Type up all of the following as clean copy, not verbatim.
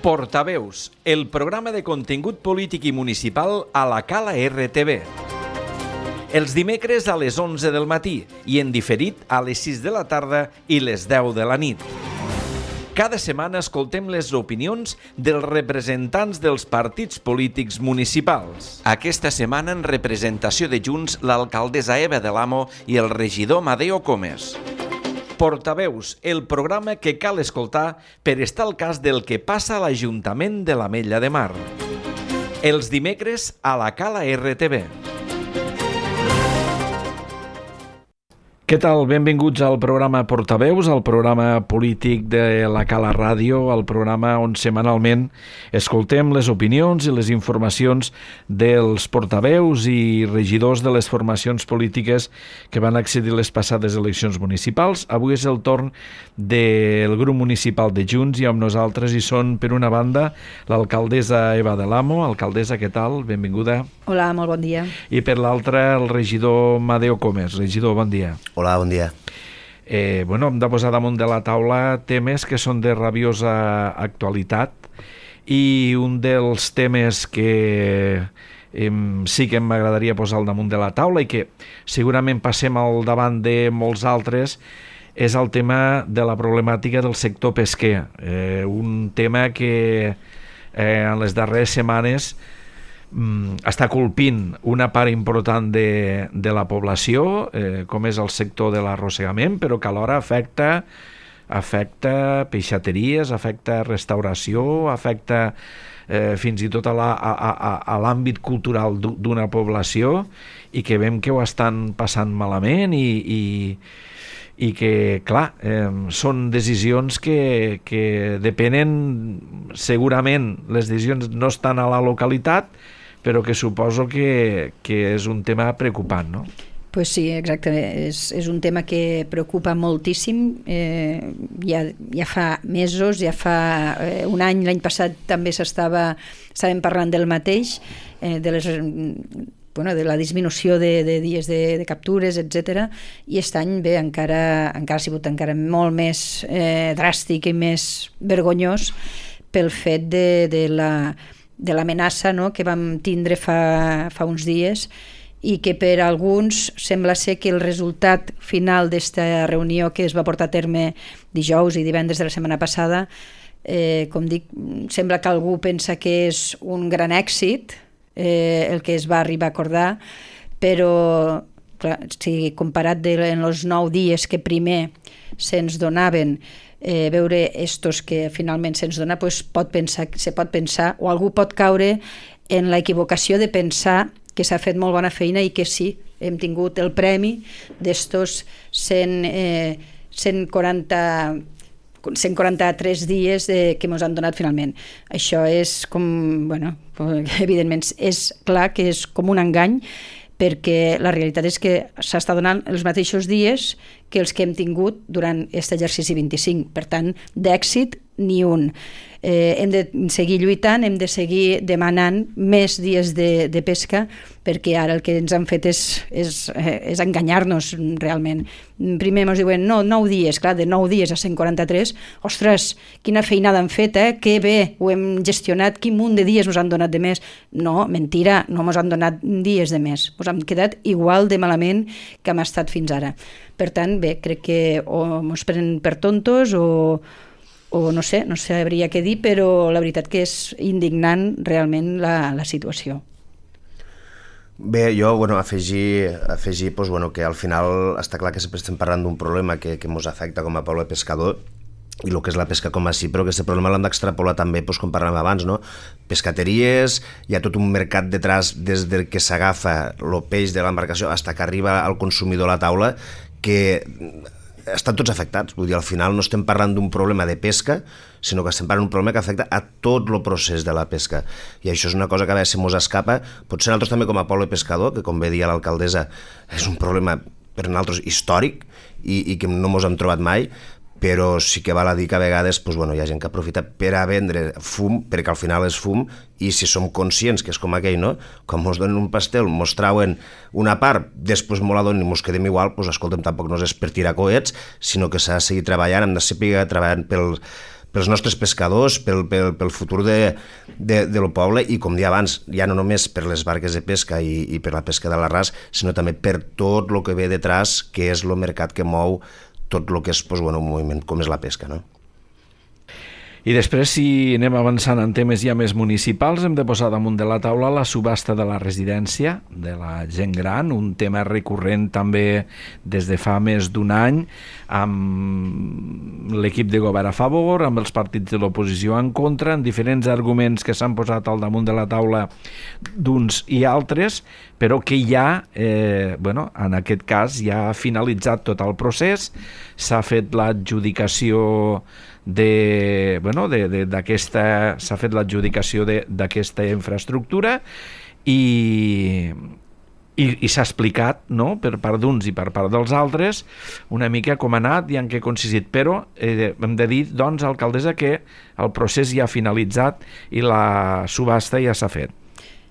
Portaveus, el programa de contingut polític i municipal a la Cala RTV. Els dimecres a les 11 del matí i en diferit a les 6 de la tarda i les 10 de la nit. Cada setmana escoltem les opinions dels representants dels partits polítics municipals. Aquesta setmana en representació de Junts l'alcaldessa Eva de l'Amo i el regidor Madeo Comes. Portaveus, el programa que cal escoltar per estar al cas del que passa a l'Ajuntament de l'Ametlla de Mar. Els dimecres a la Cala RTV. Què tal? Benvinguts al programa Portaveus, al programa polític de la Cala Ràdio, al programa on setmanalment escoltem les opinions i les informacions dels portaveus i regidors de les formacions polítiques que van accedir a les passades eleccions municipals. Avui és el torn del grup municipal de Junts i amb nosaltres hi són, per una banda, l'alcaldessa Eva de l'Amo. Alcaldessa, què tal? Benvinguda. Hola, molt bon dia. I per l'altra, el regidor Madeo Comes. Regidor, bon dia. Hola, bon dia. Hem de posar damunt de la taula temes que són de rabiosa actualitat i un dels temes que sí que m'agradaria posar al damunt de la taula i que segurament passem al davant de molts altres és el tema de la problemàtica del sector pesquer. Un tema que en les darreres setmanes està colpint una part important de la població, com és el sector de l'arrossegament, però que alhora afecta peixateries, afecta restauració, afecta fins i tot a l'àmbit cultural d'una població i que veiem que ho estan passant malament i que, clar, són decisions que depenen, segurament les decisions no estan a la localitat, però que suposo que és un tema preocupant, no? Pues sí, exactament. És un tema que preocupa moltíssim. Ja fa mesos, ja fa un any, l'any passat també estàvem parlant del mateix, de la disminució de dies de captures, etc. I aquest any encara ha sigut encara molt més dràstic i més vergonyós pel fet de l'amenaça, no?, que vam tindre fa uns dies i que per alguns sembla ser que el resultat final d'esta reunió que es va portar a terme dijous i divendres de la setmana passada, com dic, sembla que algú pensa que és un gran èxit el que es va arribar a acordar, però clar, si comparat en els 9 dies que primer se'ns donaven, veure estos que finalment se'ns dona, se pot pensar o algú pot caure en la equivocació de pensar que s'ha fet molt bona feina i que sí, hem tingut el premi d'estos 143 dies que ens han donat finalment. Això és com, evidentment és clar que és com un engany, perquè la realitat és que s'està donant els mateixos dies que els que hem tingut durant aquest exercici 25. Per tant, d'èxit ni un. Hem de seguir lluitant, hem de seguir demanant més dies de pesca, perquè ara el que ens han fet és enganyar-nos realment. Primer ens diuen, no, 9 dies, clar, de 9 dies a 143, ostres, quina feinada han fet, que bé, ho hem gestionat, quin munt de dies ens han donat de més. No, mentira, no ens han donat dies de més, ens hem quedat igual de malament que hem estat fins ara. Per tant, bé, crec que o ens prenen per tontos o no sabria què dir, però la veritat que és indignant realment la situació. Bé, jo afegir que al final està clar que sempre estem parlant d'un problema que ens afecta com a poble pescador i el que és la pesca com a sí, però aquest problema l'hem d'extrapolar també, com parlàvem abans, no? Pescateries, hi ha tot un mercat detrás des que s'agafa el peix de l'embarcació fins que arriba al consumidor a la taula, que estan tots afectats. Vull dir, al final no estem parlant d'un problema de pesca, sinó que estem parlant d'un problema que afecta a tot el procés de la pesca. I això és una cosa que a vegades se mos escapa. Potser nosaltres també com a poble pescador, que com bé dia l'alcaldessa, és un problema per nosaltres històric i que no mos hem trobat mai, però sí que val a dir que a vegades hi ha gent que aprofita per a vendre fum, perquè al final és fum, i si som conscients que és com aquell, no? Com ens donen un pastel, ens trauen una part, després ens la donen i ens quedem igual, escolta'm, tampoc no és per tirar coets, sinó que s'ha de seguir treballant, hem de seguir treballant pels nostres pescadors, pel futur del poble i, com deia abans, ja no només per les barques de pesca i per la pesca de l'arràs, sinó també per tot el que ve detrás, que és el mercat que mou tot el que és un moviment com és la pesca, no? I després, si anem avançant en temes ja més municipals, hem de posar damunt de la taula la subhasta de la residència de la gent gran, un tema recurrent també des de fa més d'un any, amb l'equip de govern a favor, amb els partits de l'oposició en contra, amb diferents arguments que s'han posat al damunt de la taula d'uns i altres, però que ja, en aquest cas, ja ha finalitzat tot el procés, s'ha fet l'adjudicació s'ha fet l'adjudicació d'aquesta infraestructura i s'ha explicat, no?, per part d'uns i per part dels altres una mica com ha anat i en què ha consistit, però hem de dir, doncs, alcaldessa, que el procés ja ha finalitzat i la subhasta ja s'ha fet.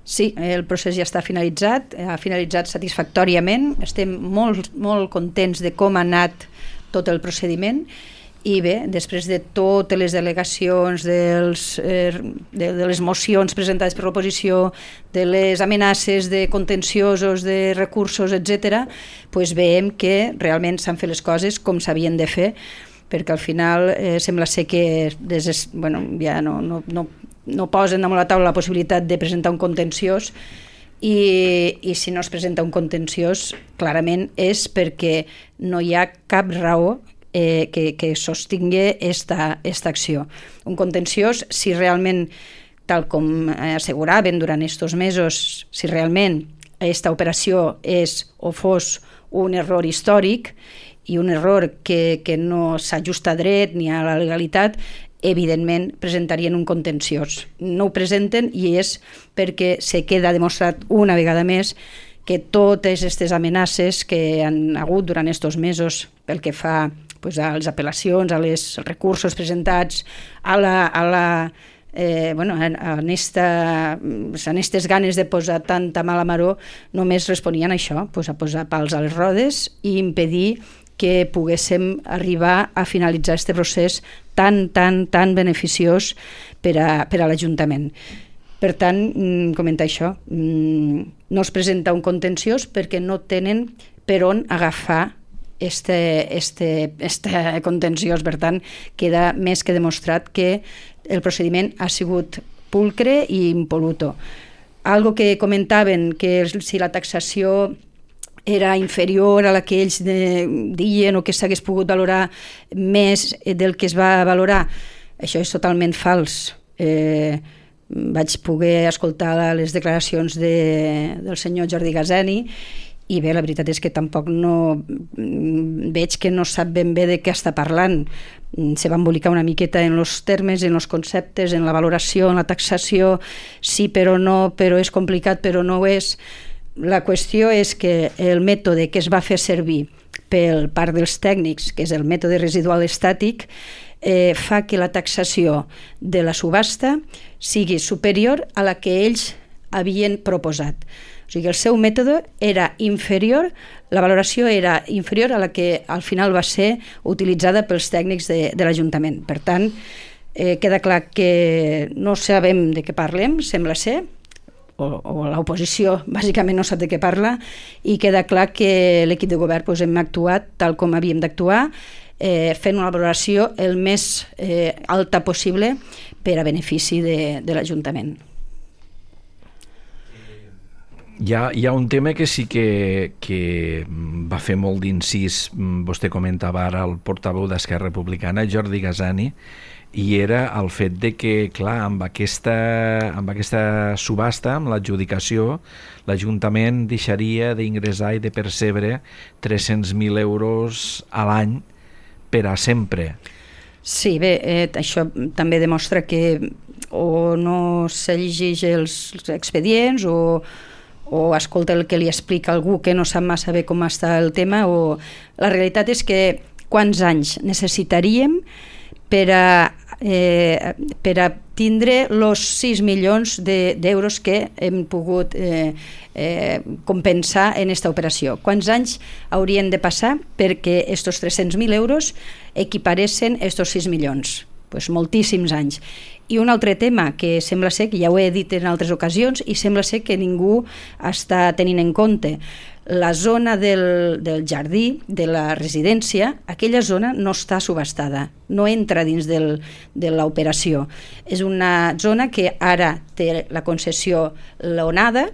Sí, el procés ja està finalitzat, ha finalitzat satisfactòriament, estem molt, molt contents de com ha anat tot el procediment. I bé, després de totes les delegacions, de les mocions presentades per l'oposició, de les amenaces de contenciosos, de recursos, etc., doncs veiem que realment s'han fet les coses com s'havien de fer, perquè al final sembla ser que ja no posen damunt la taula la possibilitat de presentar un contenciós, i si no es presenta un contenciós, clarament és perquè no hi ha cap raó que sostingui esta acció. Un contenciós, si realment, tal com asseguraven durant aquests mesos, si realment aquesta operació és o fos un error històric i un error que no s'ajusta a dret ni a la legalitat, evidentment presentarien un contenciós. No ho presenten i és perquè se queda demostrat una vegada més que totes aquestes amenaces que han hagut durant aquests mesos pel que fa a les apel·lacions, als recursos presentats, en aquestes ganes de posar tanta mala maror, només responien a això, a posar pals a les rodes i impedir que poguéssim arribar a finalitzar aquest procés tan beneficiós per a l'Ajuntament. Per tant, comenta això, no es presenta un contenciós perquè no tenen per on agafar este contenciós. Per tant, queda més que demostrat que el procediment ha sigut pulcre i impoluto. Algo que comentaven, que si la taxació era inferior a la que ells deien o que s'hagués pogut valorar més del que es va valorar, això és totalment fals. Vaig poder escoltar les declaracions del senyor Jordi Gazeni i bé, la veritat és que tampoc no veig que no sap ben bé de què està parlant. Se va embolicar una miqueta en els termes, en els conceptes, en la valoració, en la taxació, sí però no, però és complicat, però no ho és. La qüestió és que el mètode que es va fer servir per part dels tècnics, que és el mètode residual estàtic, fa que la taxació de la subhasta sigui superior a la que ells havien proposat. O sigui, el seu mètode era inferior, la valoració era inferior a la que al final va ser utilitzada pels tècnics de l'Ajuntament. Per tant, queda clar que no sabem de què parlem, sembla ser, o l'oposició bàsicament no sap de què parla, i queda clar que l'equip de govern hem actuat tal com havíem d'actuar, fent una valoració el més alta possible per a benefici de l'Ajuntament. Hi ha un tema que sí que va fer molt d'incís, vostè comentava ara el portaveu d'Esquerra Republicana, Jordi Gazani, i era el fet de que, clar, amb aquesta subhasta, amb l'adjudicació, l'Ajuntament deixaria d'ingressar i de percebre 300.000 euros a l'any per a sempre. Sí, bé, això també demostra que o no se llegeix els expedients o escolta el que li explica algú que no sap massa bé com està el tema, o la realitat és que quants anys necessitaríem per a tindre els 6 milions d'euros que hem pogut compensar en aquesta operació. Quants anys haurien de passar perquè aquests 300.000 euros equiparessin aquests 6 milions? moltíssims anys. I un altre tema que sembla ser, que ja ho he dit en altres ocasions, i sembla ser que ningú està tenint en compte, la zona del jardí, de la residència, aquella zona no està subhastada, no entra dins de l'operació. És una zona que ara té la concessió l'ONADA,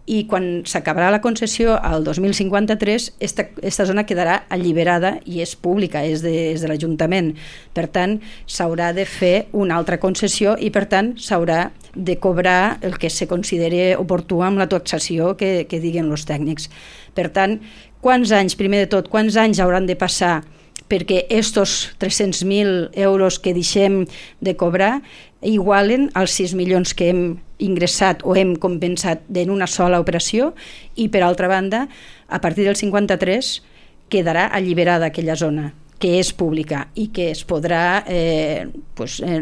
i quan s'acabarà la concessió al 2053 esta zona quedarà alliberada i és pública, és de l'Ajuntament. Per tant, s'haurà de fer una altra concessió i per tant s'haurà de cobrar el que se consideri oportú amb la taxació que diguen els tècnics. Per tant, primer de tot, quants anys hauran de passar perquè estos 300.000 euros que deixem de cobrar igualen als 6 milions que hem ingressat o hem compensat en una sola operació, i per altra banda, a partir del 53 quedarà alliberada aquella zona que és pública i que es podrà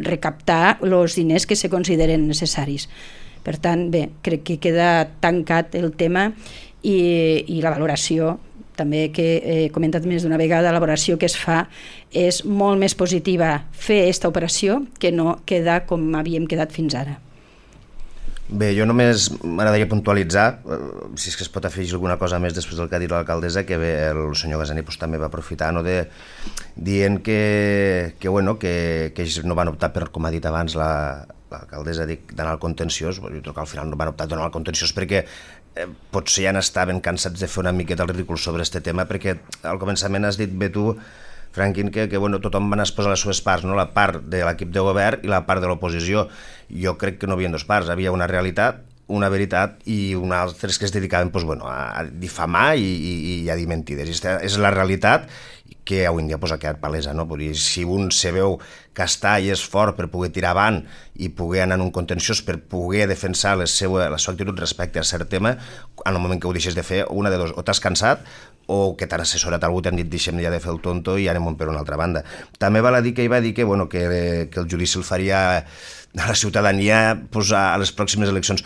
recaptar els diners que se consideren necessaris. Per tant, bé, crec que queda tancat el tema i la valoració, també que he comentat més d'una vegada, la valoració que es fa és molt més positiva fer aquesta operació que no quedar com havíem quedat fins ara. Bé, jo només m'agradaria puntualitzar, si és que es pot afegir alguna cosa més després del que ha dit l'alcaldessa, que bé, el senyor Gazzani també va aprofitar, dient que ells no van optar per, com ha dit abans l'alcaldessa, d'anar al contenciós. Jo crec que al final no van optar d'anar al contenciós perquè potser ja n'estaven cansats de fer una miqueta el ridícul sobre aquest tema, perquè al començament has dit bé tu, Franquín, que tothom va exposar les seves parts, no? La part de l'equip de govern i la part de l'oposició. Jo crec que no hi havia dues parts, havia una realitat, una veritat i una altra que es dedicaven a difamar i a dir mentides. I és la realitat que avui en dia ha quedat palesa, no? Si un se veu que està i és fort per poder tirar avant i poder anar en un contenciós per poder defensar la seva actitud respecte a cert tema, en el moment que ho deixes de fer, una de dos, o t'has cansat o que t'han assessorat algú, t'han dit deixem ja de fer el tonto i anem per una altra banda. També val a dir que ell va dir que el judici el faria a la ciutadania a les pròximes eleccions.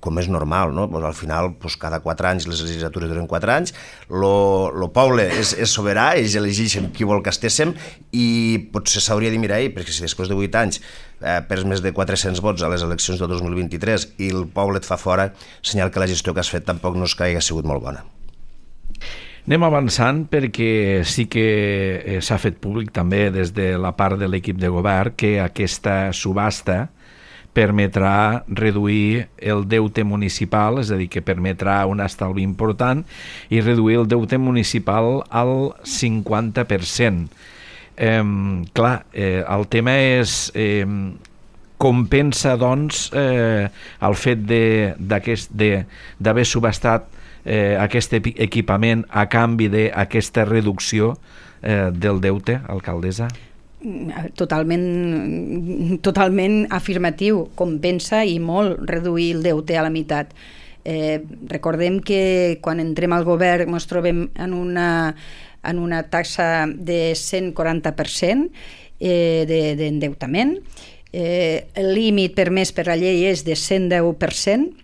Com és normal, no? Al final, cada 4 anys, les legislatures duren 4 anys, el poble és soberà, ells elegeixen qui vol que estéssim i potser s'hauria de mirar perquè si després de 8 anys perds més de 400 vots a les eleccions del 2023 i el poble et fa fora, senyal que la gestió que has fet tampoc no és que hagi sigut molt bona. Anem avançant perquè sí que s'ha fet públic també des de la part de l'equip de govern que aquesta subhasta permetrà reduir el deute municipal, és a dir, que permetrà un estalvi important i reduir el deute municipal al 50%. El tema és compensa, doncs, el fet d'haver subhastat aquest equipament a canvi d'aquesta reducció del deute, alcaldessa? Totalment afirmatiu, compensa i molt reduir el deute a la meitat. Recordem que quan entrem al govern ens trobem en una taxa de 140% d'endeutament. El límit permès per la llei és de 110%,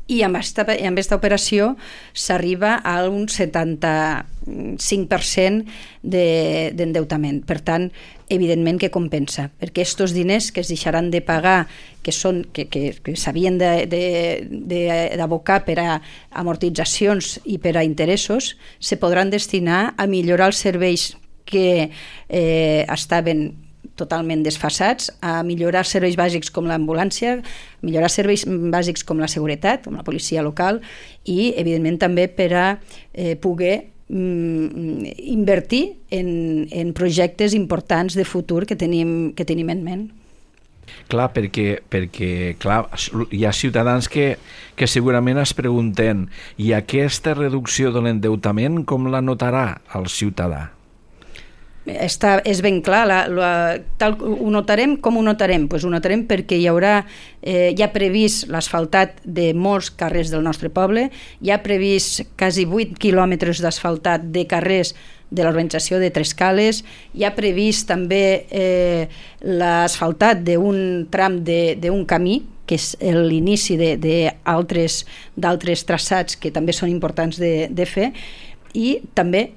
i amb aquesta operació s'arriba a un 75% d'endeutament. Per tant, evidentment que compensa, perquè aquests diners que es deixaran de pagar, que s'havien d'abocar per a amortitzacions i per a interessos, se podran destinar a millorar els serveis que estaven totalment desfasats, a millorar serveis bàsics com l'ambulància, millorar serveis bàsics com la seguretat, com la policia local i, evidentment, també per a poder invertir en projectes importants de futur que tenim en ment. Clar, perquè hi ha ciutadans que segurament es pregunten i aquesta reducció de l'endeutament com la notarà el ciutadà? És ben clar, ho notarem. Com ho notarem? Ho notarem perquè hi haurà ja previst l'asfaltat de molts carrers del nostre poble, hi ha previst quasi 8 quilòmetres d'asfaltat de carrers de l'urbanització de Tres Cales, hi ha previst també l'asfaltat d'un tram d'un camí, que és l'inici d'altres traçats que també són importants de fer, I també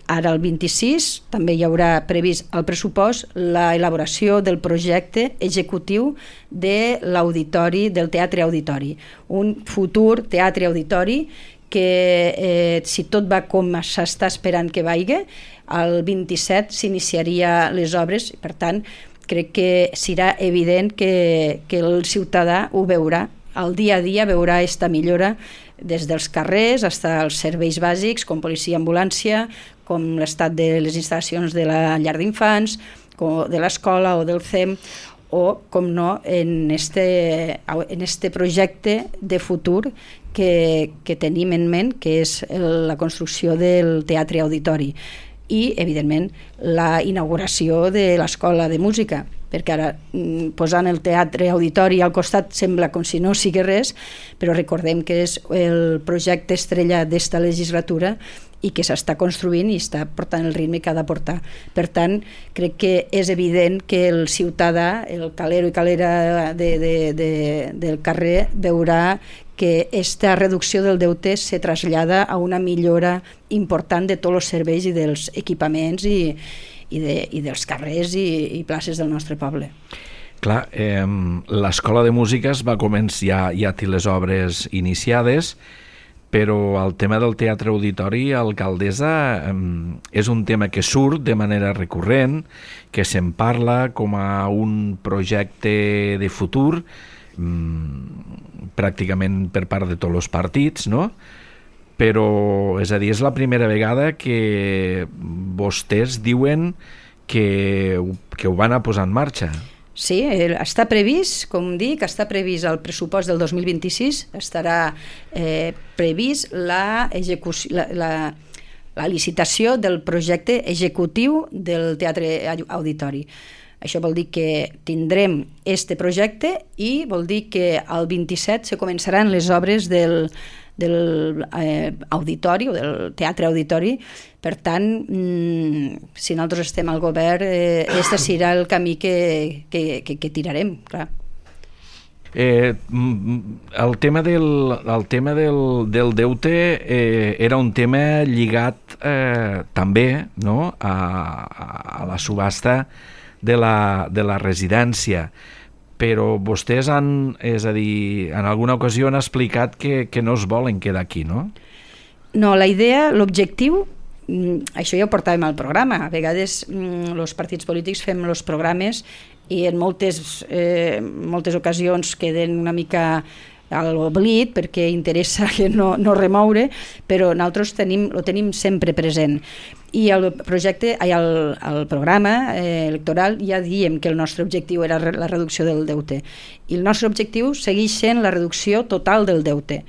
ara el 26 també hi haurà previst al pressupost l'elaboració del projecte executiu de l'auditori, del Teatre Auditori, un futur teatre auditori que si tot va com s'està esperant que vagi, el 27 s'iniciaria les obres, per tant crec que serà evident que el ciutadà ho veurà, al dia a dia veurà aquesta millora des dels carrers fins als serveis bàsics com policia, ambulància, com l'estat de les instal·lacions de la llar d'infants, de l'escola o del CEM, o, com no, en este projecte de futur que tenim en ment, que és la construcció del Teatre Auditori i, evidentment, la inauguració de l'Escola de Música, perquè ara posant el Teatre Auditori al costat sembla com si no sigui res, però recordem que és el projecte estrella d'esta legislatura i que s'està construint i està portant el ritme que ha de portar. Per tant, crec que és evident que el ciutadà, el calero i calera del carrer, veurà que aquesta reducció del deute se trasllada a una millora important de tots els serveis i dels equipaments i dels carrers i places del nostre poble. Clar, l'Escola de Música va començar, ja té les obres iniciades, però el tema del Teatre Auditori, alcaldessa, és un tema que surt de manera recurrent, que se'n parla com a un projecte de futur, pràcticament per part de tots els partits, no? Però, és a dir, és la primera vegada que vostès diuen que ho van a posar en marxa. Sí, està previst, com dic, està previst el pressupost del 2026, estarà previst la licitació del projecte executiu del Teatre Auditori. Això vol dir que tindrem este projecte i vol dir que el 27 se començaran les obres del auditori o del Teatre Auditori. Per tant, si nosaltres estem al govern, este serà el camí que tirarem, clar. El tema del deute era un tema lligat també, no?, a la subhasta de la residència, però vostès és a dir, en alguna ocasió han explicat que no es volen quedar aquí, no? No, la idea, l'objectiu, això ja ho portàvem al programa, a vegades els partits polítics fem els programes i en moltes ocasions queden una mica a l'oblit perquè interessa que no remoure, però nosaltres ho tenim sempre present. I el programa electoral ja diem que el nostre objectiu era la reducció del deute. I el nostre objectiu segueix sent la reducció total del deute.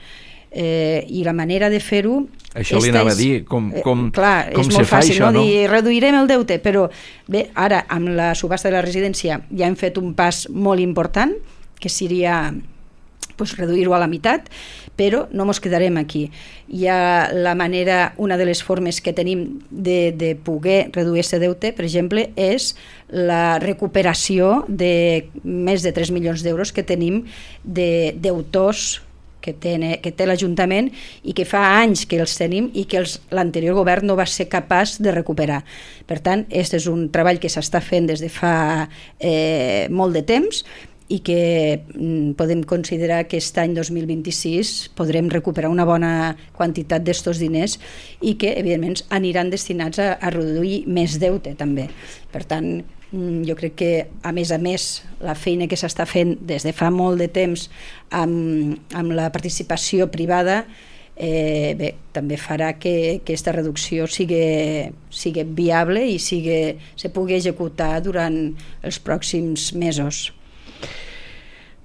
I la manera de fer-ho... Això li anava a dir, com se fa això, no? Clar, és molt fàcil, no? Dir reduirem el deute, però bé, ara amb la subhasta de la residència ja hem fet un pas molt important, que seria reduir-ho a la meitat, però no ens quedarem aquí. Hi ha la manera, una de les formes que tenim de poder reduir aquest deute, per exemple, és la recuperació de més de 3 milions d'euros que tenim de deutors que té l'Ajuntament i que fa anys que els tenim i que l'anterior govern no va ser capaç de recuperar. Per tant, aquest és un treball que s'està fent des de fa molt de temps i que podem considerar que aquest any 2026 podrem recuperar una bona quantitat d'estos diners i que, evidentment, aniran destinats a reduir més deute, també. Per tant, jo crec que, a més, la feina que s'està fent des de fa molt de temps amb la participació privada també farà que aquesta reducció sigui viable i se pugui executar durant els pròxims mesos.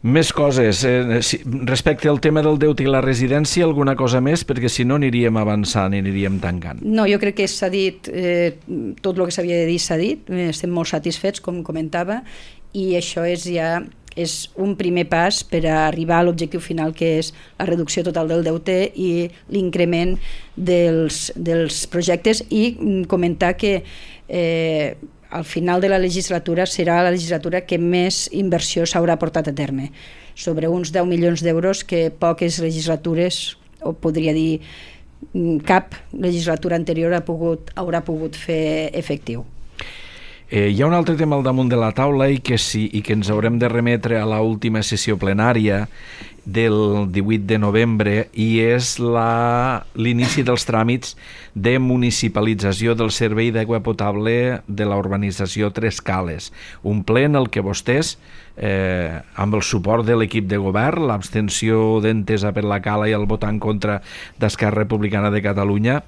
Més coses. Respecte al tema del deute i la residència, alguna cosa més? Perquè si no aniríem avançant i aniríem tancant. No, jo crec que s'ha dit, tot el que s'havia de dir s'ha dit, estem molt satisfets, com comentava, i això és un primer pas per a arribar a l'objectiu final, que és la reducció total del deute i l'increment dels projectes, i comentar que al final de la legislatura serà la legislatura que més inversió s'haurà portat a terme, sobre uns 10 milions d'euros que poques legislatures, o podria dir cap legislatura anterior haurà pogut fer efectiu. Hi ha un altre tema al damunt de la taula i que ens haurem de remetre a l'última sessió plenària del 18 de novembre i és l'inici dels tràmits de municipalització del servei d'aigua potable de la urbanització Tres Cales. Un ple en el que vostès, amb el suport de l'equip de govern, l'abstenció d'Entesa per la Cala i el vot en contra d'Esquerra Republicana de Catalunya,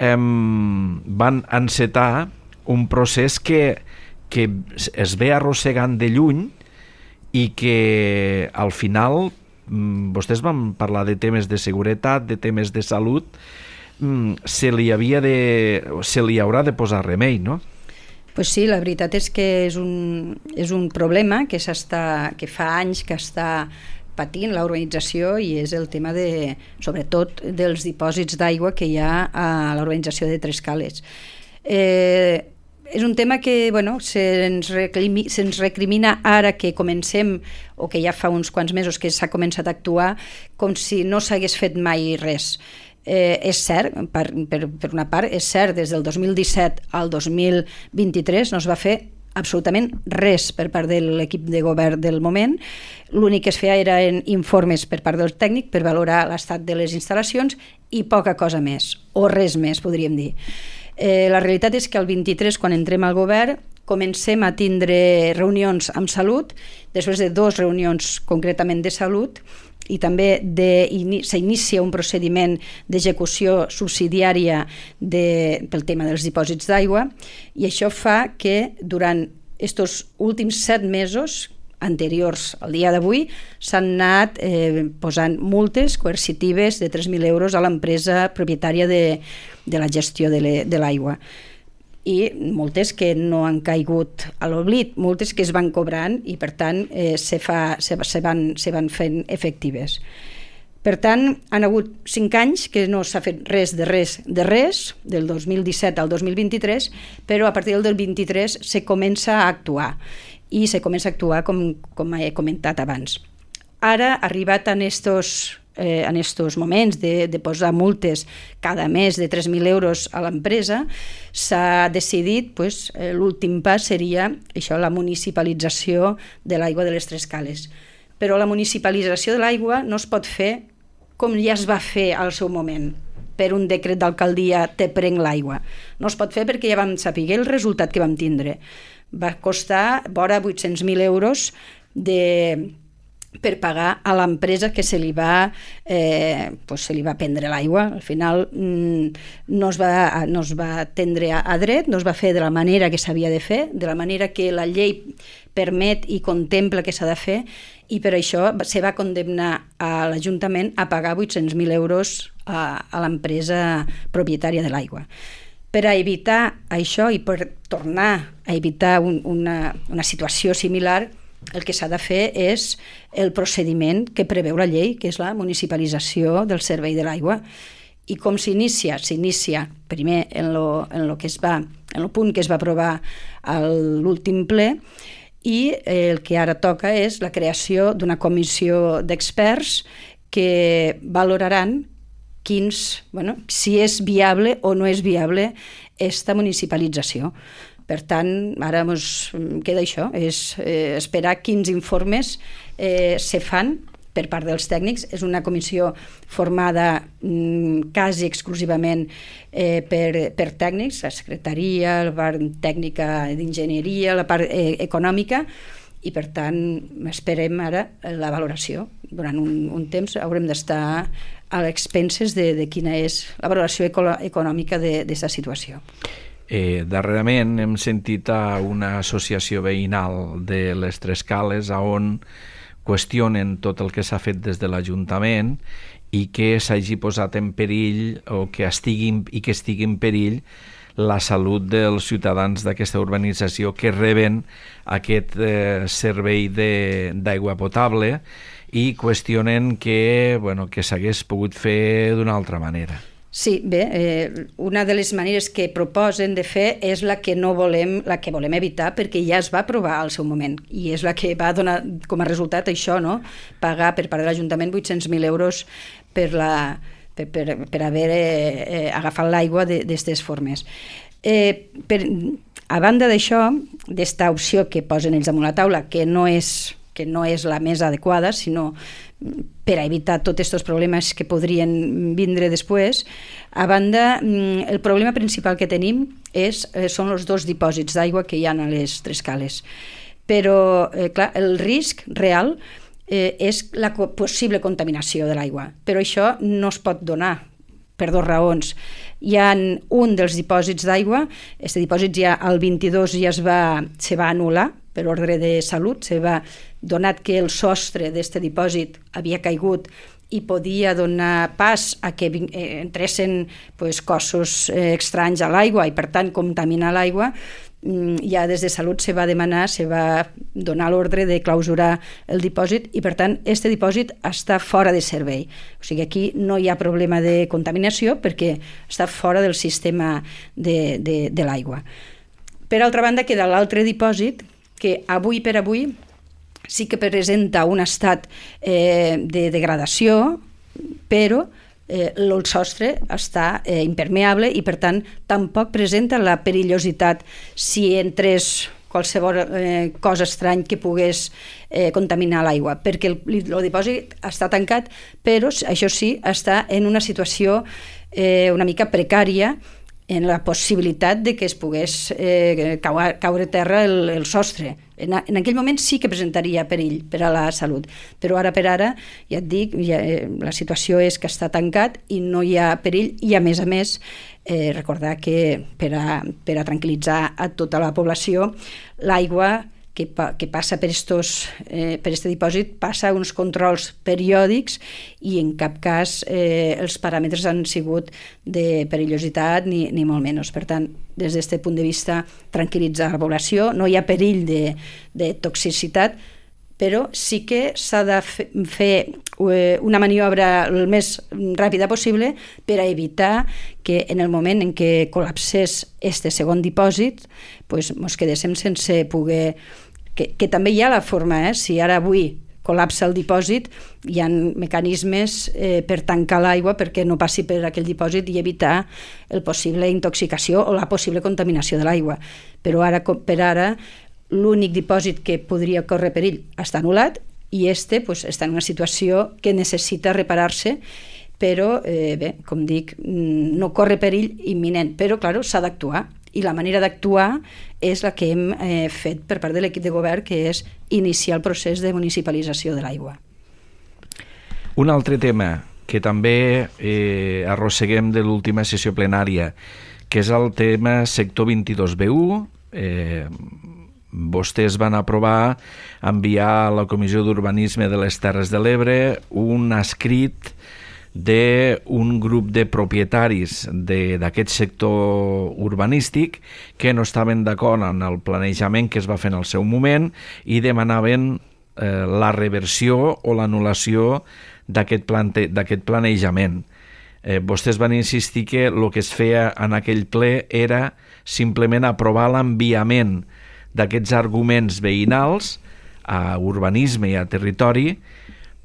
van encetar un procés que es ve arrossegant de lluny i que al final vostès van parlar de temes de seguretat, de temes de salut, se li haurà de posar remei, no? Pues sí, la veritat és que és un problema que fa anys que està patint la urbanització i és el tema sobretot dels dipòsits d'aigua que hi ha a la urbanització de Tres Cales. És un tema que se'ns recrimina ara que comencem, o que ja fa uns quants mesos que s'ha començat a actuar, com si no s'hagués fet mai res. És cert, per una part, és cert, des del 2017 al 2023 no es va fer absolutament res per part de l'equip de govern del moment. L'únic que es feia eren informes per part del tècnic per valorar l'estat de les instal·lacions i poca cosa més, o res més, podríem dir. La realitat és que el 23, quan entrem al govern, comencem a tindre reunions amb Salut, després de 2 reunions concretament de Salut, i també s'inicia un procediment d'execució subsidiària pel tema dels dipòsits d'aigua, i això fa que durant aquests últims 7 mesos anteriors al dia d'avui s'han anat posant multes coercitives de 3.000 euros a l'empresa propietària de la gestió de l'aigua, i multes que no han caigut a l'oblit, multes que es van cobrant i per tant se van fent efectives. Per tant, han hagut 5 anys que no s'ha fet res, del 2017 al 2023, però a partir del 23 se comença a actuar, i se comença a actuar com he comentat abans. Ara, arribat en estos moments de posar multes cada mes de 3.000 euros a l'empresa, s'ha decidit, l'últim pas seria això, la municipalització de l'aigua de les Tres Cales. Però la municipalització de l'aigua no es pot fer com ja es va fer al seu moment, per un decret d'alcaldia te prenc l'aigua. No es pot fer perquè ja vam saber el resultat que vam tindre. Va costar vora 800.000 euros per pagar a l'empresa que se li va prendre l'aigua. Al final no es va atendre a dret, no es va fer de la manera que s'havia de fer, de la manera que la llei permet i contempla que s'ha de fer, i per això se va condemnar a l'Ajuntament a pagar 800.000 euros a l'empresa propietària de l'aigua. Per a evitar això i per tornar a evitar una situació similar, el que s'ha de fer és el procediment que preveu la llei, que és la municipalització del servei de l'aigua. I com s'inicia? S'inicia primer en el punt que es va aprovar a l'últim ple, i el que ara toca és la creació d'una comissió d'experts que valoraran si és viable o no és viable aquesta municipalització. Per tant, ara ens queda això, és esperar quins informes se fan per part dels tècnics. És una comissió formada quasi exclusivament per tècnics, la secretaria, la part tècnica d'enginyeria, la part econòmica, i per tant esperem ara la valoració. Durant un temps haurem d'estar a l'expenses de quina és la valoració econòmica d'aquesta situació. Darrerament hem sentit a una associació veïnal de les Tres Cales on qüestionen tot el que s'ha fet des de l'Ajuntament i que s'hagi posat en perill o que estigui en perill la salut dels ciutadans d'aquesta urbanització que reben aquest servei d'aigua potable, i qüestionen que s'hagués pogut fer d'una altra manera. Sí, bé, una de les maneres que proposen de fer és la que volem evitar, perquè ja es va aprovar al seu moment, i és la que va donar com a resultat això, no? Pagar per part de l'Ajuntament 800.000 euros per per haver agafat l'aigua d'aquestes formes. A banda d'això, d'esta opció que posen ells damunt la taula, que no és la més adequada, sinó per a evitar tots aquests problemes que podrien vindre després, a banda, el problema principal que tenim són els 2 dipòsits d'aigua que hi ha a les 3 cales. Però, clar, el risc real és la possible contaminació de l'aigua, però això no es pot donar per 2 raons. Hi ha un dels dipòsits d'aigua, aquest dipòsit ja el 22 ja se va anul·lar per ordre de salut, donat que el sostre d'aquest dipòsit havia caigut i podia donar pas a que entressin cossos estranys a l'aigua i per tant contaminar l'aigua, ja des de Salut se va donar l'ordre de clausurar el dipòsit i per tant aquest dipòsit està fora de servei. O sigui, aquí no hi ha problema de contaminació perquè està fora del sistema de l'aigua. Per altra banda, queda l'altre dipòsit que avui per avui sí que presenta un estat de degradació, però el sostre està impermeable i per tant tampoc presenta la perillositat si entrés qualsevol cosa estrany que pogués contaminar l'aigua, perquè el dipòsit està tancat, però això sí, està en una situació una mica precària en la possibilitat de que es pogués caure a terra el sostre. En aquell moment sí que presentaria perill per a la salut, però ara per ara, ja et dic, la situació és que està tancat i no hi ha perill i a més, recordar que per a tranquil·litzar a tota la població, l'aigua que passa per aquest dipòsit passa uns controls periòdics i en cap cas els paràmetres han sigut de perillositat ni molt menys. Per tant, des d'aquest punt de vista, tranquil·litzar la població, no hi ha perill de toxicitat, però sí que s'ha de fer una maniobra el més ràpida possible per a evitar que en el moment en què col·lapsés este segon dipòsit ens quedéssim sense poder... Que també hi ha la forma, si ara avui col·lapsa el dipòsit, hi ha mecanismes per tancar l'aigua perquè no passi per aquell dipòsit i evitar la possible intoxicació o la possible contaminació de l'aigua. Però ara per ara l'únic dipòsit que podria córrer perill està anul·lat i està en una situació que necessita reparar-se, però com dic, no corre perill imminent, però clar, s'ha d'actuar. I la manera d'actuar és la que hem fet per part de l'equip de govern, que és iniciar el procés de municipalització de l'aigua. Un altre tema que també arrosseguem de l'última sessió plenària, que és el tema sector 22B1. Vostès van aprovar enviar a la Comissió d'Urbanisme de les Terres de l'Ebre un escrit d'un grup de propietaris d'aquest sector urbanístic que no estaven d'acord en el planejament que es va fer en el seu moment i demanaven la reversió o l'anul·lació d'aquest planejament. Vostès van insistir que el que es feia en aquell ple era simplement aprovar l'enviament d'aquests arguments veïnals a urbanisme i a territori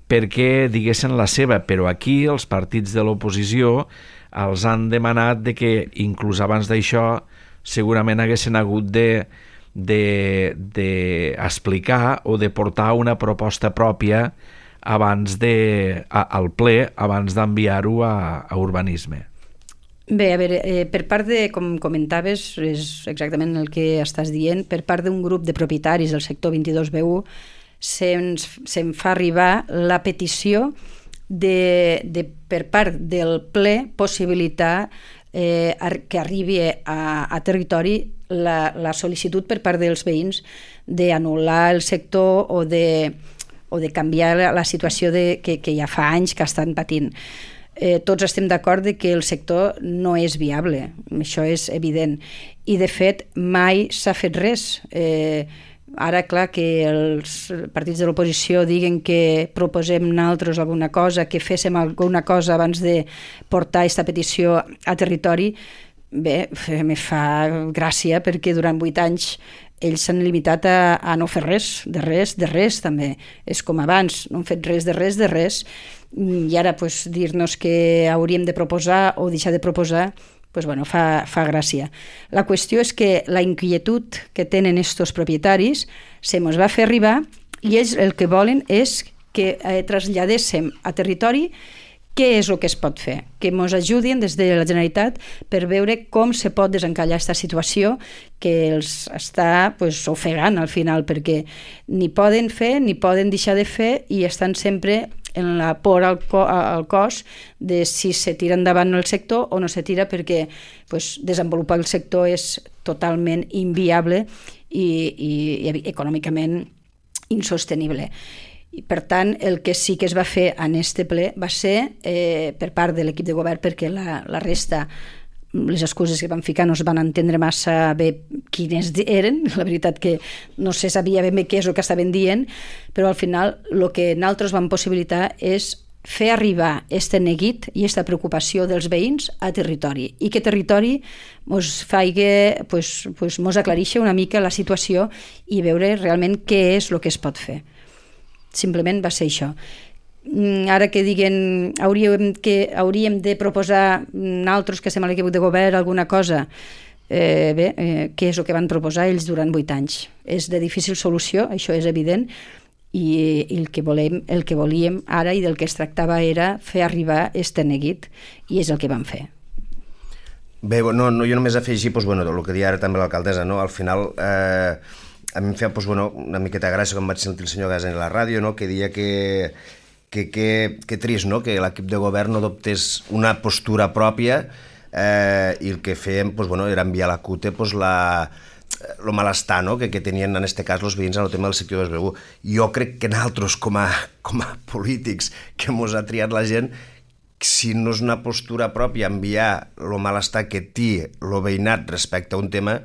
perquè diguessin la seva, però aquí els partits de l'oposició els han demanat de que inclús abans d'això segurament haguessin hagut d'explicar o de portar una proposta pròpia al ple abans d'enviar-ho a urbanisme. Bé, a veure, per part de, com comentaves, és exactament el que estàs dient, per part d'un grup de propietaris del sector 22B1 se'm fa arribar la petició per part del ple possibilitar que arribi a territori la sol·licitud per part dels veïns d'anul·lar el sector o de canviar la situació que ja fa anys que estan patint. Tots estem d'acord que el sector no és viable, això és evident, i de fet mai s'ha fet res. Ara, clar, que els partits de l'oposició diguen que proposem nosaltres alguna cosa, que féssim alguna cosa abans de portar aquesta petició a territori, bé, me fa gràcia perquè durant 8 anys ells s'han limitat a no fer res, de res també. És com abans, no han fet res, i ara dir-nos que hauríem de proposar o deixar de proposar, fa gràcia. La qüestió és que la inquietud que tenen estos propietaris se mos va fer arribar i ells el que volen és que traslladéssim a territori què és el que es pot fer, que ens ajudin des de la Generalitat per veure com se pot desencallar aquesta situació que els està ofegant al final, perquè ni poden fer ni poden deixar de fer i estan sempre en la por al cos de si se tira endavant el sector o no se tira, perquè desenvolupar el sector és totalment inviable i econòmicament insostenible. I, per tant, el que sí que es va fer en este ple va ser per part de l'equip de govern, perquè la resta, les excuses que van ficar no es van entendre massa bé quines eren, la veritat que no se sabia ben bé què és el que estaven dient, però al final el que nosaltres vam possibilitar és fer arribar este neguit i esta preocupació dels veïns a territori i que territori mos aclareixi una mica la situació i veure realment què és el que es pot fer. Simplement va ser això. Ara que diguen hauríem de proposar nosaltres que estem a l'equip de govern alguna cosa, què és el que van proposar ells durant 8 anys? És de difícil solució, això és evident, i el que volíem ara i del que es tractava era fer arribar este neguit, i és el que vam fer. Bé, jo només afegir el que deia ara també l'alcaldessa, al final a mi em feia una miqueta gràcia quan vaig sentir el senyor Gas en la ràdio, que deia que trist, que l'equip de govern no adoptés una postura pròpia i el que fèiem era enviar a la CUTE el malestar que tenien en aquest cas els veïns en el tema del sector d'Esbeu. Jo crec que nosaltres com a polítics que ens ha triat la gent, si no és una postura pròpia enviar el malestar que té el veïnat respecte a un tema,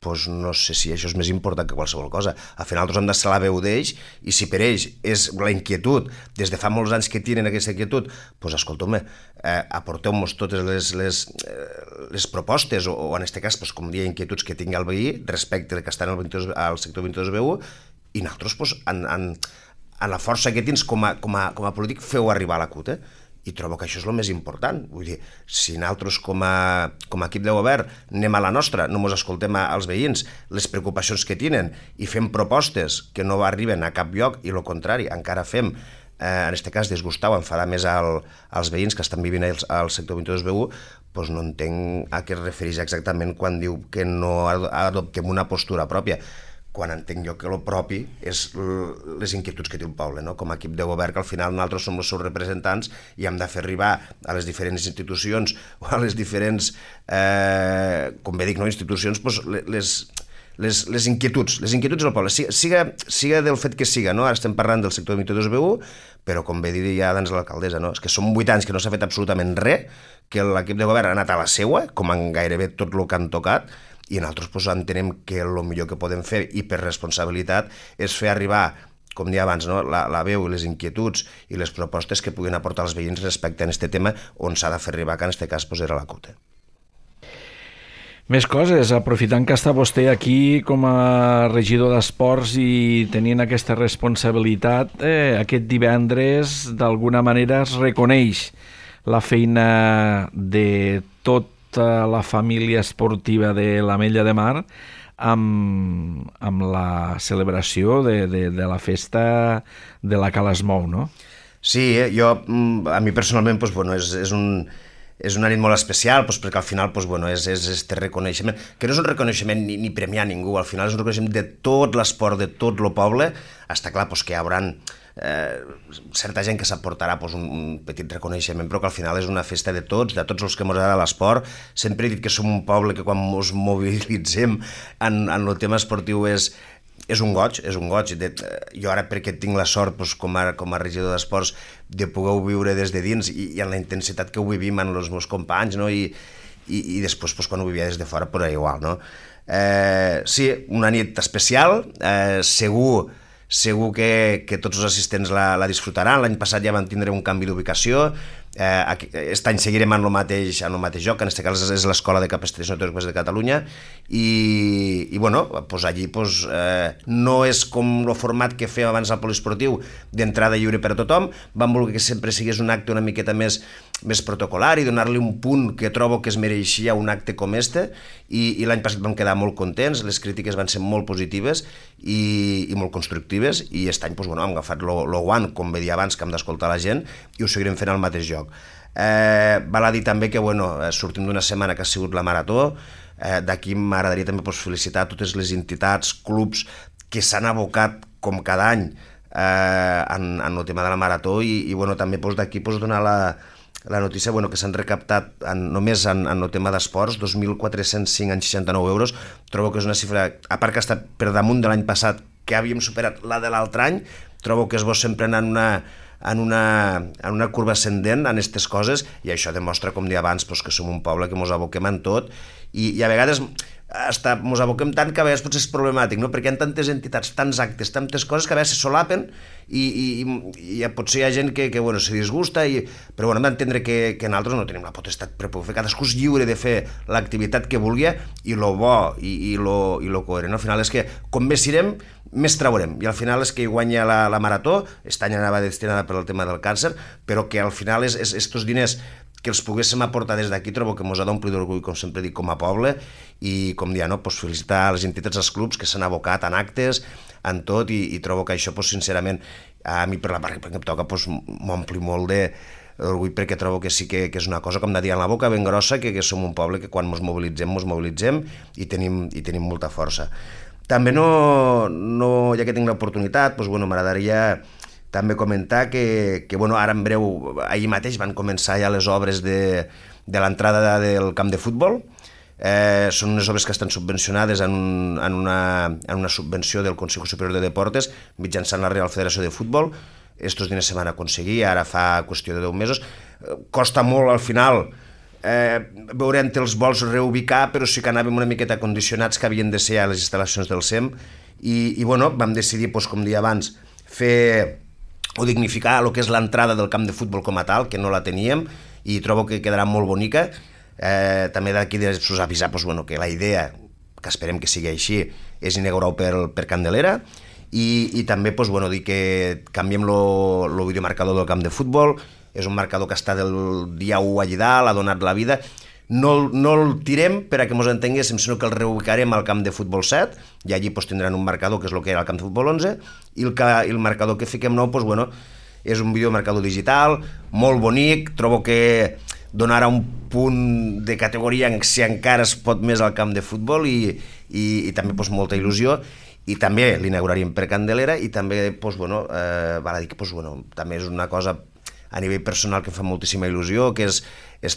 no sé si això és més important que qualsevol cosa. Al final nosaltres hem de ser la veu d'ells i si per ells és la inquietud, des de fa molts anys que tenen aquesta inquietud, escolta'm, aporteu-nos totes les propostes o en aquest cas, com deia, inquietuds que tingui el veí respecte que estan al sector 22B1 i nosaltres, en la força que tens com a polític, feu arribar a la CUT, i trobo que això és el més important. Vull dir, si nosaltres com a equip de govern anem a la nostra, no ens escoltem als veïns, les preocupacions que tenen i fem propostes que no arriben a cap lloc i el contrari, encara fem, en aquest cas, disgustar o enfadar més als veïns que estan vivint al sector 22B1, no entenc a què es refereix exactament quan diu que no adoptem una postura pròpia, quan entenc jo que el propi és les inquietuds que té el poble, com a equip de govern, que al final nosaltres som els seus representants i hem de fer arribar a les diferents institucions o a les diferents, com bé dic, institucions, les inquietuds del poble, siga del fet que siga, ara estem parlant del sector 22B1, però com bé deia abans l'alcaldessa, és que són 8 anys que no s'ha fet absolutament res, que l'equip de govern ha anat a la seua, com en gairebé tot el que han tocat, i nosaltres entenem que el millor que podem fer, i per responsabilitat, és fer arribar, com deia abans, la veu i les inquietuds i les propostes que puguin aportar els veïns respecte a aquest tema on s'ha de fer arribar, que en aquest cas era la CUT. Més coses, aprofitant que està vostè aquí com a regidor d'Esports i tenint aquesta responsabilitat, aquest divendres d'alguna manera es reconeix la feina de tota la família esportiva de l'Ametlla de Mar amb la celebració de la festa de la Cala Esmou, no? Sí, a mi personalment és una nit molt especial, perquè al final és este reconeixement, que no és un reconeixement ni premiar ningú, al final és un reconeixement de tot l'esport, de tot el poble. Està clar que hi haurà certa gent que s'aportarà un petit reconeixement, però que al final és una festa de tots els que ens agrada l'esport. Sempre he dit que som un poble que quan ens mobilitzem en el tema esportiu és un goig. Jo ara, perquè tinc la sort com a regidor d'Esports de poder viure des de dins i en la intensitat que ho vivim amb els meus companys, i després quan ho vivia des de fora era igual. Sí, una nit especial, segur que tots els assistents la disfrutaran. L'any passat ja van tindre un canvi d'ubicació Aquest any seguirem en el mateix lloc, que en aquest cas és l'Escola de Capestreria Teòriques de Catalunya, i bueno, pues allí pues, no és com el format que fèiem abans al poliesportiu d'entrada lliure per a tothom. Vam voler que sempre sigués un acte una miqueta més protocolar i donar-li un punt que trobo que es mereixia un acte com este, i l'any passat vam quedar molt contents, les crítiques van ser molt positives i molt constructives, i aquest any pues, bueno, hem agafat el guant, com bé dir abans, que hem d'escoltar la gent, i ho seguirem fent al mateix lloc. Val a dir també que sortim d'una setmana que ha sigut la marató. D'aquí m'agradaria també felicitar totes les entitats, clubs que s'han abocat com cada any en el tema de la marató, i també d'aquí donar la notícia que s'han recaptat només en el tema d'esports 2.405,69 euros. Trobo que és una xifra, a part que està per damunt de l'any passat, que havíem superat la de l'altre any. Trobo que és bo sempre anar en una curva ascendent en aquestes coses, i això demostra, com deia abans, que som un poble que ens aboquem en tot, i a vegades ens aboquem tant que a vegades potser és problemàtic, no? Perquè hi ha tantes entitats, tants actes, tantes coses que a vegades se solapen, i potser hi ha gent que se disgusta, però hem d'entendre que nosaltres no tenim la potestat per poder fer. Cadascú és lliure de fer l'activitat que vulgui, i lo bo i lo coherent al final és que com més irem, més traurem, i al final és que hi guanya la marató. Aquest any anava destinada per al tema del càncer, però que al final estos diners que els poguéssim aportar des d'aquí, trobo que ens ha d'omplir d'orgull, com sempre dic, com a poble, i com dir, felicitar les entitats, els clubs que s'han abocat en actes, en tot, i trobo que això, sincerament, a mi per la part que em toca, m'ompli molt d'orgull, perquè trobo que sí que és una cosa, com de dir, en la boca ben grossa, que som un poble que quan ens mobilitzem, i tenim molta força. També ja que tinc l'oportunitat, m'agradaria també comentar que ara en breu, ahir mateix van començar ja les obres de l'entrada del camp de futbol. Són unes obres que estan subvencionades en una subvenció del Consejo Superior de Deportes mitjançant la Real Federació de Futbol. Estos diners se van aconseguir ara fa qüestió de 10 mesos. Costa molt al final veurem els vols reubicar, però sí que anàvem una miqueta condicionats que havien de ser a les instal·lacions del SEM, i vam decidir, com deia abans, fer o dignificar el que és l'entrada del camp de futbol com a tal, que no la teníem, i trobo que quedarà molt bonica. També d'aquí avisar que la idea, que esperem que sigui així, és inaugurar-ho per Candelera, i també dir que canviem el videomarcador del camp de futbol. És un marcador que està del dia 1 allà dalt, ha donat la vida. No el tirem per a que ens entenguéssim, sinó que el reubicarem al camp de futbol 7, i allí tindran un marcador que és el que era el camp de futbol 11, i el marcador que fiquem nou és un videomarcador digital, molt bonic. Trobo que donarà un punt de categoria, si encara es pot més, al camp de futbol, i també molta il·lusió. I també l'inauguraríem per Candelera, i també val a dir que també és una cosa a nivell personal que em fa moltíssima il·lusió, que és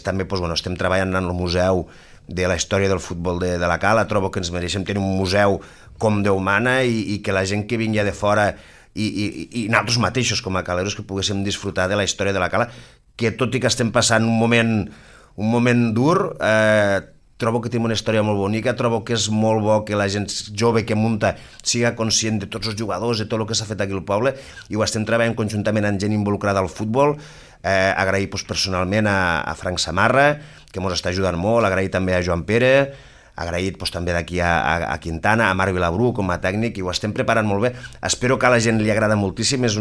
també, estem treballant en el museu de la història del futbol de la Cala. Trobo que ens mereixem tenir un museu com Déu mana, i que la gent que vingui de fora, i nosaltres mateixos com a caleros, que poguéssim disfrutar de la història de la Cala, que tot i que estem passant un moment dur, trobo que tenim una història molt bonica. Trobo que és molt bo que la gent jove que munta siga conscient de tots els jugadors, de tot el que s'ha fet aquí al poble, i ho estem treballant conjuntament amb gent involucrada al futbol. Agrair personalment a Frank Samarra, que ens està ajudant molt, agrair també a Joan Pere, agraït també d'aquí a Quintana, a Marc Vilabrú com a tècnic, i ho estem preparant molt bé. Espero que a la gent li agrada moltíssim, és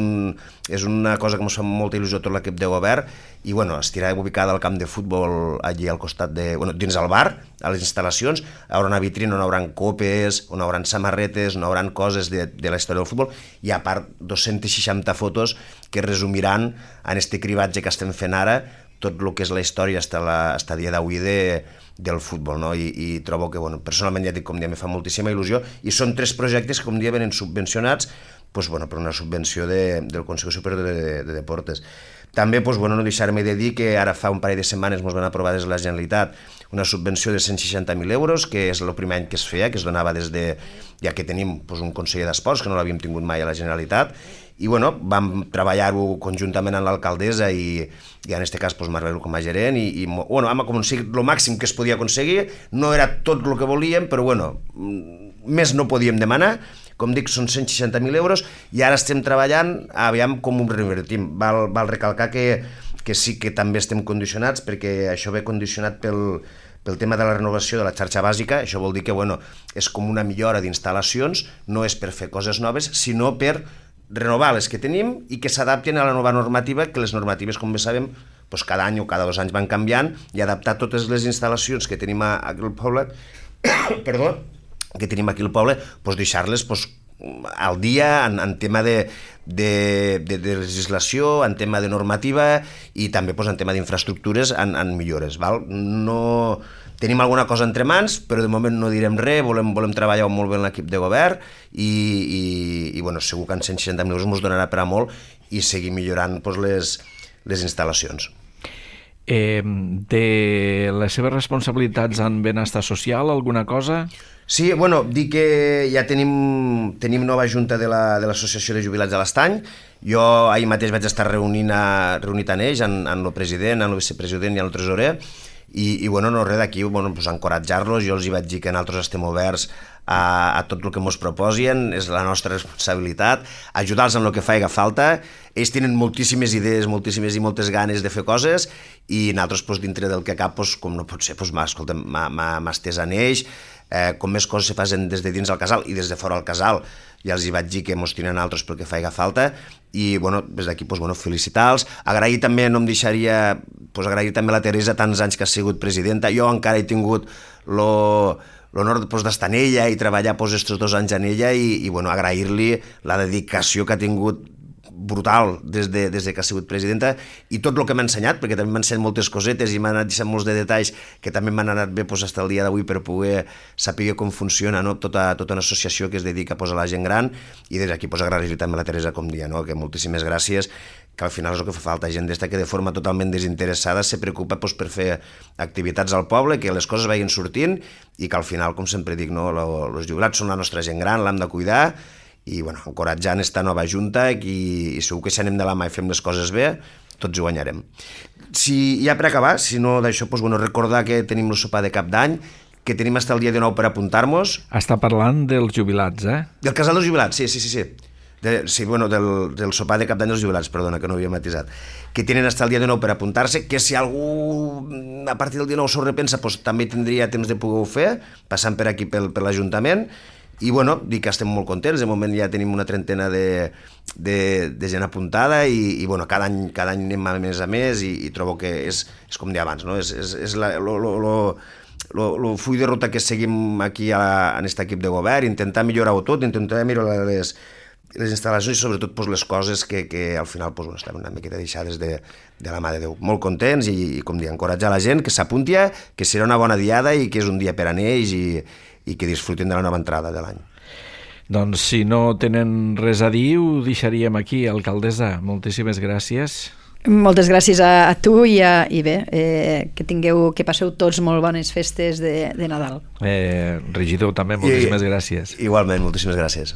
una cosa que ens fa molta il·lusió tot l'equip de govern, i estirà ubicada al camp de futbol allí al costat dins el bar, a les instal·lacions. Hi haurà una vitrina on hi haurà copes, on hi haurà samarretes, on hi haurà coses de la història del futbol, i a part 260 fotos que resumiran en este cribatge que estem fent ara tot el que és la història fins a dia d'avui del futbol, no? I trobo que, personalment, ja dic, com dia, me fa moltíssima il·lusió, i són 3 projectes que, com dia, venen subvencionats per una subvenció del Consejo Superior de Deportes. També, no deixar-me de dir que ara fa un parell de setmanes ens van aprovar des de la Generalitat una subvenció de 160.000 euros, que és el primer any que es feia, que es donava des de... ja que tenim un conseller d'esports, que no l'havíem tingut mai a la Generalitat, i vam treballar-ho conjuntament amb l'alcaldessa i en aquest cas Marc com a gerent, i hem aconseguit el màxim que es podia aconseguir. No era tot el que volíem, però més no podíem demanar. Com dic, són 160.000 euros, i ara estem treballant, aviam com ho revertim. Val recalcar que que sí que també estem condicionats, perquè això ve condicionat pel tema de la renovació de la xarxa bàsica. Això vol dir que és com una millora d'instal·lacions, no és per fer coses noves, sinó per renovar les que tenim i que s'adaptin a la nova normativa, que les normatives, com bé sabem, cada any o cada 2 anys van canviant, i adaptar totes les instal·lacions que tenim aquí al poble, deixar-les al dia en tema de legislació, en tema de normativa i també en tema d'infraestructures, en millores. No tenim alguna cosa entre mans, però de moment no direm res, volem treballar molt bé en l'equip de govern i segur que en 160 milions ens donarà per a molt i seguir millorant les instal·lacions. De les seves responsabilitats en benestar social, alguna cosa? Sí, dir que ja tenim nova junta de l'Associació de Jubilats de l'Estany. Jo ahir mateix vaig estar reunit en ells, en el president, en el vicepresident i en el tresorer, i res d'aquí, encoratjar-los. Jo els hi vaig dir que nosaltres estem oberts a tot el que ens proposin, és la nostra responsabilitat, ajudar-los en el que faci falta. Ells tenen moltíssimes idees, moltes ganes de fer coses, i nosaltres, dintre del que cap, com no pot ser, m'ha estès en ells. Com més coses se fan des de dins del casal i des de fora del casal, ja els hi vaig dir que ens tenen altres pel que faci falta, i des d'aquí felicitar-los. Agrair també, no em deixaria, agrair també a la Teresa tants anys que ha sigut presidenta. Jo encara he tingut l'honor d'estar en ella i treballar aquests 2 anys en ella, i agrair-li la dedicació que ha tingut brutal des que ha sigut presidenta, i tot el que m'ha ensenyat, perquè també m'ha ensenyat moltes cosetes i m'ha anat deixant molts de detalls que també m'han anat bé fins al dia d'avui per poder saber com funciona tota una associació que es dedica a la gent gran. I des d'aquí agrair-li també a la Teresa, com dia, que moltíssimes gràcies, que al final és el que fa falta, gent d'esta que de forma totalment desinteressada se preocupa per fer activitats al poble, que les coses vagin sortint, i que al final, com sempre dic, els jubilats són la nostra gent gran, l'hem de cuidar, i encoratjant esta nova junta, i segur que si anem de la mà i fem les coses bé, tots hi guanyarem. Ja per acabar, si no d'això, recordar que tenim el sopar de cap d'any, que tenim fins al dia 19 per apuntar-nos. Està parlant dels jubilats, Del casal dels jubilats, sí. Del sopar de cap d'any dels jubilats, perdona, que no havia matisat. Que tenen fins al dia 19 per apuntar-se, que si algú a partir del 19 s'ho repensa, també tindria temps de poder-ho fer, passant per aquí per l'Ajuntament. I dic que estem molt contents. De moment ja tenim una trentena de gent apuntada, i cada any anem a més, i trobo que és com deia abans, és el full de ruta que seguim aquí en aquest equip de govern, intentar millorar-ho tot, intentar millorar les instal·lacions i sobretot les coses que al final estan una miqueta deixades de la mà de Déu. Molt contents, i com dir, encoratjar la gent que s'apunti, que serà una bona diada i que és un dia per a ells, i que disfrutin de la nova entrada de l'any. Doncs si no tenen res a dir, ho deixaríem aquí. Alcaldessa, moltíssimes gràcies. Moltes gràcies a tu, i bé, que passeu tots molt bones festes de Nadal. Regidor, també, moltíssimes gràcies. Igualment, moltíssimes gràcies.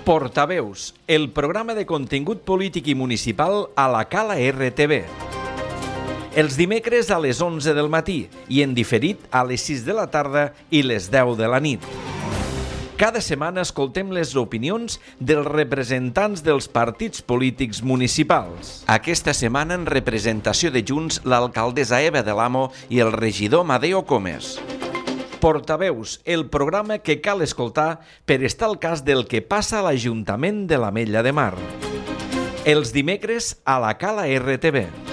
Portaveus, el programa de contingut polític i municipal a la Cala RTV. Els dimecres a les 11 del matí i en diferit a les 6 de la tarda i les 10 de la nit. Cada setmana escoltem les opinions dels representants dels partits polítics municipals. Aquesta setmana, en representació de Junts, l'alcaldessa Eva de l'Amo i el regidor Madeo Comes. Portaveus, el programa que cal escoltar per estar al cas del que passa a l'Ajuntament de l'Ametlla de Mar. Els dimecres a la Cala RTV.